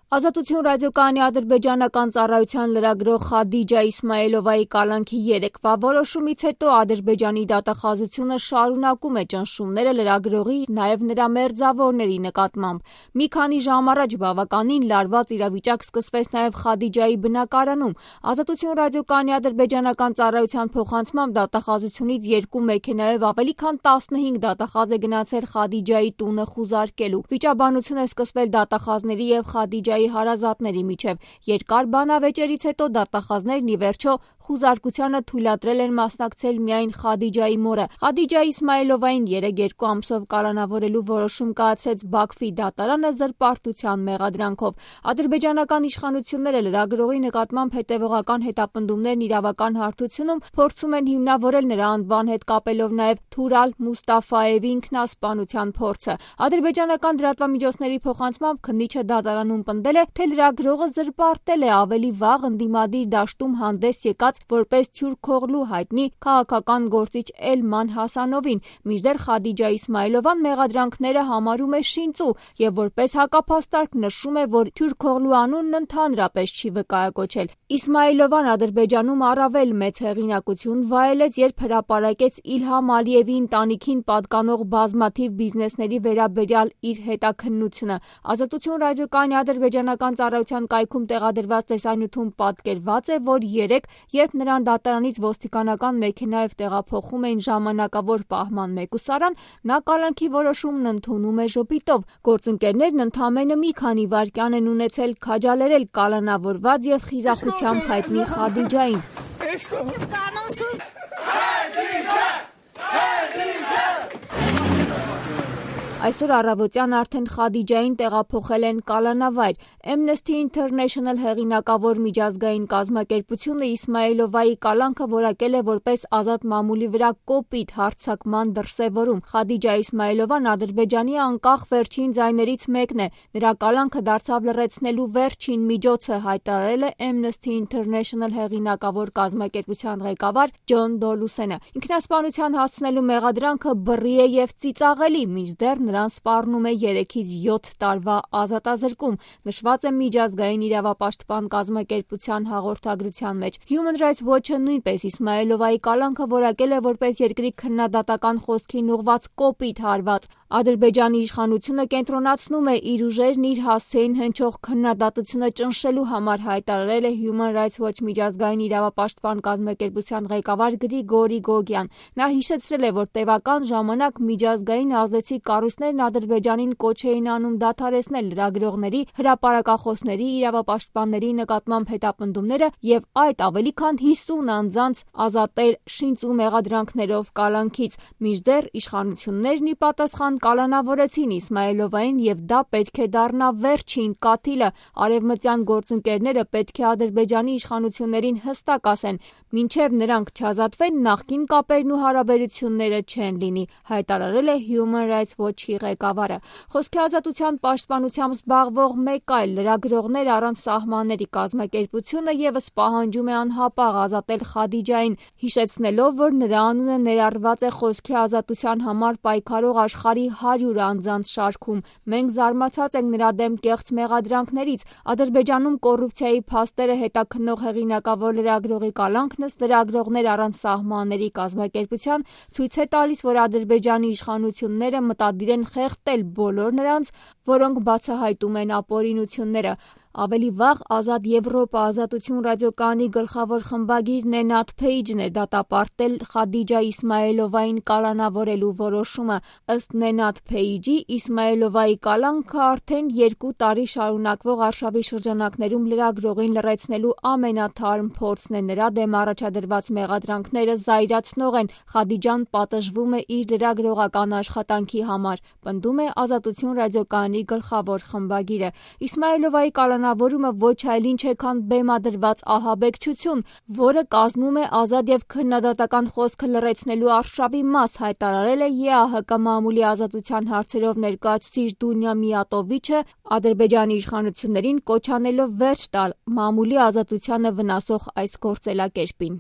Ազատություն ռադիոկայանի ադրբեջանական ծառայության լրագրող Խադիջա Իսմայելովայի կալանքի երեկվա որոշումից հետո Ադրբեջանի դատախազությունը շարունակում է ճնշումները լրագրողի, նաև նրա մերձավորների նկատմամբ։ Մի քանի ժամ առաջ բավականին լարված իրավիճակ սկսվեց նաև Խադիջայի բնակարանում։ Ազատություն ռադիոկայանի ադրբեջանական ծառայության փոխանցմամբ դատախազությունից երկու մեքենայով ավելի քան 15 դատախազ է գնացել Խադիջայի տունը խուզարկելու։ Վիճաբանություն է սկսվել դատախազների և Խադիջայի հարազատների միջև։ Երկար բանավեճերից հետո դատախազներն ի վերջո խուզարկությանը թույլատրել են մասնակցել միայն Խադիջայի մորը։ Խադիջա Իսմայելովային 3 ամսով կալանավորելու որոշում կայացրեց Բաքվի դատարանը զրպարտության մեղադրանքով։ Ադրբեջանական իշխանությունները լրագրողի նկատմամբ հետևողական հետապնդումներն իրավական հարթությունում փորձում են հիմնավորել նրա անվան հետ կապելով նաև Թուրալ Մուստաֆայևի ինքնասպանության փորձը։ Ադրբեջանական լրատվամիջոցների փոխանցմամբ քննիչը դատարանում պնդել է, թե լրագրողը զրպարտել է ավելի վաղ ընդդիմադիր դաշտում հանդես եկած որպես Թյուրքօղլու հայտնի քաղաքական գործիչ Էլման Հասանովին, մինչդեռ Խադիջա Իսմայելովան մեղադրանքները համարում է շինծու և որպես հակափաստարկ նշում է, որ Թյուրքօղլու անունն ընդհանրապես չի վկայակոչել։ Իսմայելովան Ադրբեջանում առավել մեծ հեղինակություն վայելեց, երբ հրապարակեց Իլհամ Ալիևի ընտանիքին պատկանող բազմաթիվ բիզնեսների վերաբերյալ իր հետաքննությունը։ Ազատություն ռադիոկայանի ադրբեջանական ծառայության կայքում տեղադրված տեսանյութում պատկերված է, որ երբ նրան դատարանից ոստիկանական մեքենայով տեղափոխում էին ժամանակավոր պահման մեկուսարան, նա կալանքի որոշումն ընդունում է ժպիտով։ Գործընկերներն ընդամենը մի քանի վայրկյան են ունեցել քաջալերել կալանավորված և խիզախությամբ հայտնի Խադիջային։ Այսօր առավոտյան արդեն Խադիջային տեղափոխել են կալանավայր։ Amnesty International հեղինակավոր միջազգային կազմակերպությունը Իսմայելովայի կալանքը որակել է որպես ազատ մամուլի վրա կոպիտ հարձակման դրսևորում։ Խադիջա Իսմայելովան Ադրբեջանի անկախ վերջին ձայներից մեկն է։ Նրա կալանքը դարձավ լռեցնելու վերջին միջոցը, հայտարարել է Amnesty International հեղինակավոր կազմակերպության ղեկավար Ջոն Դոլուսենը։ Ինքնասպանության հասցնելու մեղադրանքը բռի է և ծիծաղելի, մինչդեռ նրան սպառնում է 3-ից 7 տարվա ազատազրկում, նշված է միջազգային իրավապաշտպան կազմակերպության հաղորդագրության մեջ։ Human Rights Watch-ը նույնպես Իսմայելովայի կալանքը որակել է որպես երկրի քննադատական խոսքին ուղղված կոպիտ հարված։ Ադրբեջանի իշխանությունը կենտրոնացնում է իր ուժերն իր հասցեին հնչող քննադատությունը ճնշելու համար, հայտարարել է Human Rights Watch միջազգային իրավապաշտպան կազմակերպության ղեկավար Գրիգորի Գոգյան։ Նա հիշեցրել է, որ տևական ժամանակ միջազգային ազդեցիկ կառույցներն Ադրբեջանին կոչ էին անում դադարեցնել լրագրողների, հրապարակախոսների, իրավապաշտպանների նկատմամբ հետապնդումները և այդ ավելի քան 50 անձանց ազատել շինծու մեղադրանքներով կալանքից, մինչդեռ իշխանություններն ի պատասխան կալանավորեցին Իսմայելովային և դա պետք է դառնա վերջին կաթիլը։ Արևմտյան գործընկերները պետք է Ադրբեջանի իշխանություններին հստակ ասեն, մինչև նրանք չազատվեն, նախկին կապերն ու հարաբերությունները չեն լինի, հայտարարել է Human Rights Watch-ի ղեկավարը։ Խոսքի ազատության պաշտպանությամբ զբաղվող մեկ այլ լրագրողներ առանց սահմանների կազմակերպությունը ևս պահանջում է անհապաղ ազատել Խադիջային, հիշեցնելով, որ նրա անունը ներառված է խոսքի ազատության համար պայքարող աշխարհի 100 անձանց շարքում։ Մենք զարմացած ենք նրա դեմ կեղծ մեղադրանքներից։ Ադրբեջանում կոռուպցիայի փաստերը հետաքննող հեղինակավոր լրագրողի կալանքն ըստ լրագրողներ առանց սահմանների կազմակերպության ցույց է տալիս, որ Ադրբեջանի իշխանությունները մտադիր են խեղդել բոլոր նրանց, որոնք բացահայտում են ապօրինությունները։ Ավելի վաղ Ազատ Եվրոպա ազատություն ռադիոկայանի գլխավոր խմբագիր Նենաթ Փեյջն է դատապարտել Խադիջա Իսմայելովային կալանավորելու որոշումը։ Ըստ Նենաթ Փեյջի, Իսմայելովայի կալանքը արդեն 2 տարի շարունակվող արշավի շրջանակներում լրագրողին լռեցնելու ամենաթարմ փորձն է։ Նրա դեմ առաջադրված մեղադրանքները զայրացնող են։ Խադիջան պատժվում է իր լրագրողական աշխատանքի համար, պնդում է Ազատություն ռադիոկայանի գլխավոր խմբագիրը։ Իսմայելովայի կալանավորումը ոչ այլ ինչ է, քան բեմադրված ահաբեկչություն, որը կազմում է ազատ և քննադատական խոսքը լռեցնելու արշավի մաս, հայտարարել է ԵԱՀԿ մամուլի ազատության հարցերով ներկայացուցիչ Դունյա Միատովիչը, Ադրբեջանի իշխանություններին կոչ անելով վերջ տալ մամուլի ազատությանը վնասող այս գործելակերպին։